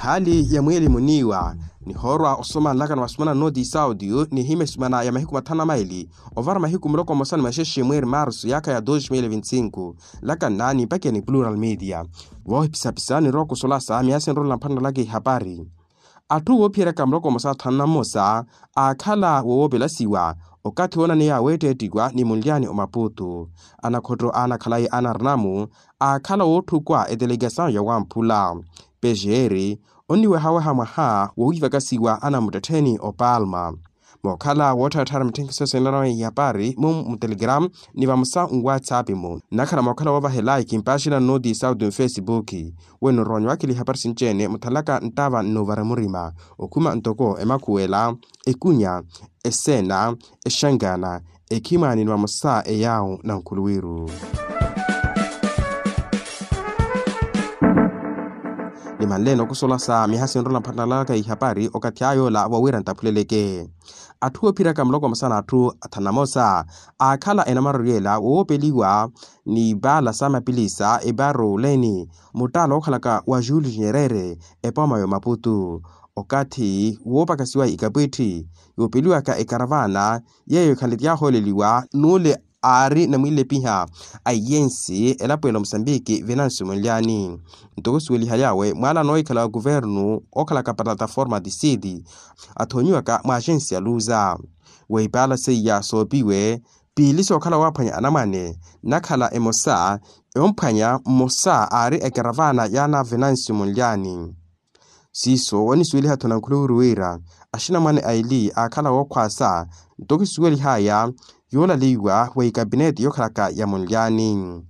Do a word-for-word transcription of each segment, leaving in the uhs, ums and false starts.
Hali ya mwiili muniiwa nihoorwa osoma nlakano vasumana noti saudi nihimya esumana ya mahiku mathanu na maili ovara mahiku muloko mmosa ni maxexe mwiiri marsu yaakha ya dos mil vinti-sinku. Nlakanna nimpakeni plural media. Voohipisapisa nirookusolasa miya sinrola mphanrelaka ihapari. Atthu woophiyeryaka muloko mmosa thanu na mmosa aakhala wowoopelasiwa okathi woonaneya weetteettiwa ni munlyani omaputu. Anakhotto aanakhalayi anarinamu aakhala wootthukwa etelegasawu ya wamphula pejeeri onniwehaweha mwaha wowiivakasiwa anamuttettheni opalma. Mookhala woottharatthara mitthenkhiso sinanwa ihapari mu mutelegramu ni vamosa nwatsapp-mu nnakhala mookhala woovahela ekimpaaxina nnooti saudi mufesipuki. Weno roonyo wakhela ihapari sinci-ene muthalaka nttava nnoovara murima okhuma ntoko emakhuwela, ekunya, eseena, exangana, ekhimwaani ni vamosa eyaawu nankhuluwiru. Nimanleene okusolasa miyaha sinrola mphantalalaka ihapari okathi ayoola vowira nttaphuleleke. Atthu oophiryaka muloko mmosa n'atthu athanu na mmosa aakhala enamaroryo ela woopeliwa ni ipaala sa mapilisa epaarowuleni muttaala ookhalaka wa jules nyerere epooma ya omaputu. Okathi woopakasiwa ikapwitthi yoopeliwaka ekaravana yeeyo ekhanle ti yaahooleliwa n'ule aari namwilepiha a iyensi elapo ela omusambiki venancio munlyani. Ntoko suwelihaly'awe mwaala anoohikhala wa kuvernu ookhalaka plataforma tisiti athoonyiwaka mwa axensi ya luza. Weipaala seiya soopiwe piili sookhala waaphwanya anamwane nnakhala emosa eomphwanya mmosa aari ekeravana yaana venancio munlyani. Siiso wanisuweliha-tho nankhuluwiru wira axinamwane aili aakhala wookhwaasa ntoko kisuwelihaya yoolaleiwa wa ikapineti yookhalaka ya munlyani.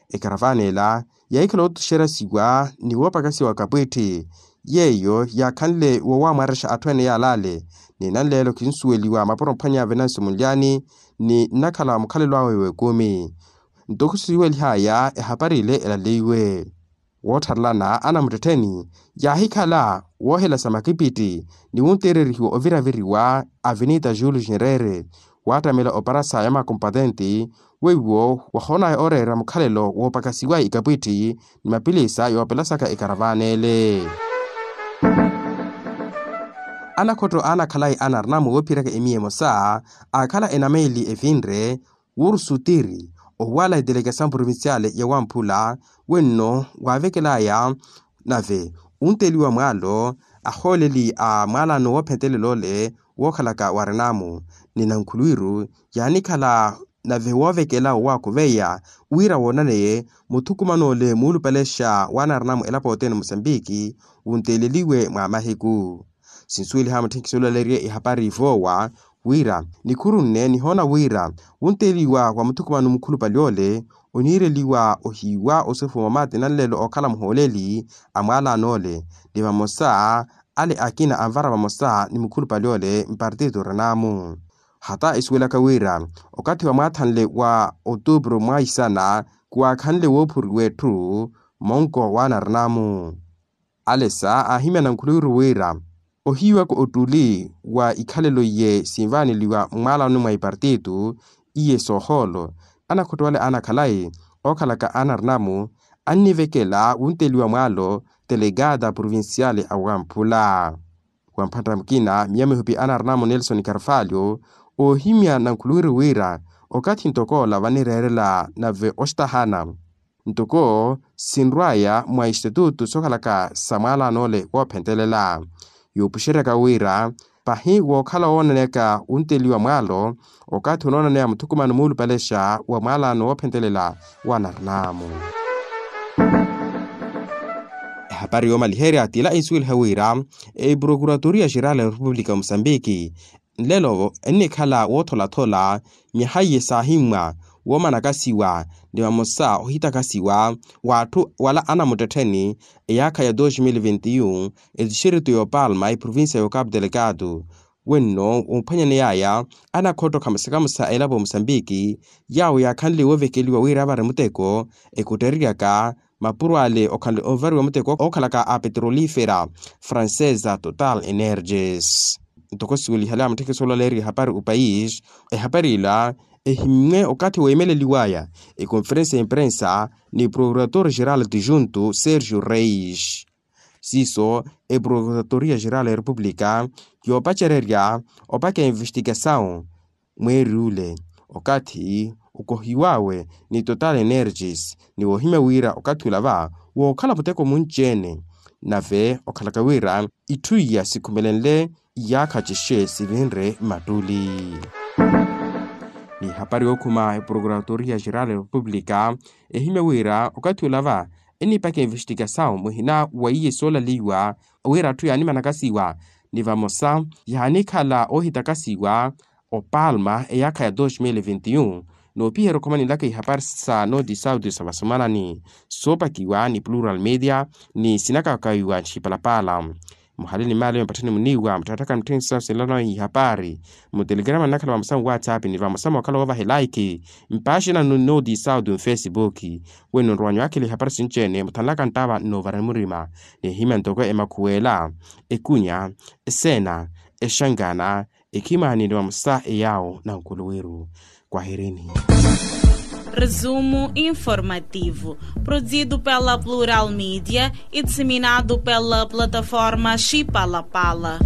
Ekaravana ela yaahikhala oottuxerasiwa ni woopakasiwa kapwitthi yeeyo yaakhanle woowamwarexa atthu ene yaalale. Ni nanleelo khinsuweliwa mapuro mphwanya venancio munlyani ni nnakhala mukhalelo awe w'ekumi. Ntoko kisuwelihaya ehapari ile elaleiwe. Woottharelana anamuttettheni yaahikhala woohelasa makipiti ni wunteererihiwa oviraviriwa avenita jules nyerere waattamela oparasa ya makompatenti weiwo wahoonaya ooreera mukhalelo woopakasiwa ikapwitthi ni mapilisa yoopelasaka ekaravana ele. Anakhotto aanakhalayi anarinamu woophiyeryaka emiya emosa aakhala enameeli evinre wuurusuttiri owaala etelegasamu provinciale ya wamphula wenno waavekelaya nave unteliwa mwaalo ahooleli a mwaalano woophentelela ole wookhalaka warinamu ni nankhuluwiru yaanikhala nave woovekela owaakhuveya wira woonaneye muthukumano ole muulupalexa waanarinamu elapo othene musambiki wunteeleliwe mwa mahiku. Sinsuweliha mutthenkisi olaleeriye ihapari voowa wira nikhuru nne nihoona wira wunteeliwa wa muthukumano mukhulupale ole oniireliwa ohiiwa osefuwa mamaati nanleelo ookhala muhooleli a mwaalano ole ni vamosa ale akina anvara vamosa ni mukhulupale ole mpartito renamu. Hata isuwelaka wira okathi wa mwaathanle wa otupuru mwaisana kuwaakhanle woophuriwa etthu monko waanarenamu. Alesa aahimya nankhuluwiru wira ohiiwaka ottuli wa ikhalelo iye sinvaaneliwa mmwaalano mwa ipartitu iye soohoolo anakhotto ale aanakhalayi ookhalaka anarinamu annivekela wunteliwa mwaalo telegata provinciale a wamphula. Wamphantta mukina miya mihupi anarinamu nelson carvalho oohimya nankhuluwiru wira okathi ntoko ola vanireerela nave ostahana ntoko sinrwaya mwa institutu sookhalaka sa mwaalano ole woophentelela. Yuupuxeryaka wira pahi wookhala woonaneyaka wunteliwa mwaalo okathi onoonaneya muthukumano muulupalexa wa mwaalano woophentelela wanarinamu. Ehapari yoomaliherya t'ila insuweliha wira eprokuratoriya xerala ya repupulika musambiki nlelo ennikhala wootholathola mihayi saahimmwa woomanakasiwa ni vamosa ohitakasiwa w'atthu wala anamuttettheni eyaakha ya dos mil vintiyu. Etixeritu y'opalma eprovincia y'ocapu delegado wenno woophwanyaneyaya anakhotto khamusakamusa elapo musambiki yaawo yaakhanle woovekeliwa wira avari muteko ekuttereryaka mapuro ale okhanle onvariwa muteko ookhalaka a petrolifera francesa total energies. Ntoko siwelihale a mutthekiso olaleeriwa ehapari opais ehapari ila ehimmwe okathi weemeleliwaya ekonferensa ya imprensa ni prokurator geral dijunto sergio reis. Siiso eprocuratoria geral ya repupulika yoopacererya opaka envestigasawu mweeri ule, okathi okohiw'awe ni total energies ni woohimya wira okathi ula va wookhala muteko munci-ene. Nave okhalaka wira itthu iya sikhumelenle iyaakha cixe sivinre mattuli. Ni hapari yookhuma eprocuratoria geral ya repupulika ehimya wira okathi ula va eniipaka envestigasawu muhina wa iye soolaliwa wira atthu yaanimanakasiwa ni vamosa yaanikhala oohitakasiwa opalma eyaakha ya dos mil e vinte e un. Noopiherya okhumanilaka ihapari sa noti sauti sa vasomanani soopakiwa ni plural media ni sinakakawiwa ntthipalapala muhali ni maali mapatthani muniiwa muttatthaka muttheni sawu sinlanawe ihapari mutelegrama nnakhala vamosa nwatsapp ni vamosa mookhala woovaha elaiki mpaaxinanu noti sauti mfesibuki. Weno nrowanyu akhila ihapari sinci-ene muthanlaka nttava nnoovara murima nihimya ntoko emakhuwela ekunya eseena exangana ekhimani ni vamosa eyaawo nankuluwiru. Kwahirini. Resumo informativo, produzido pela Plural Media e disseminado pela plataforma Chipalapala.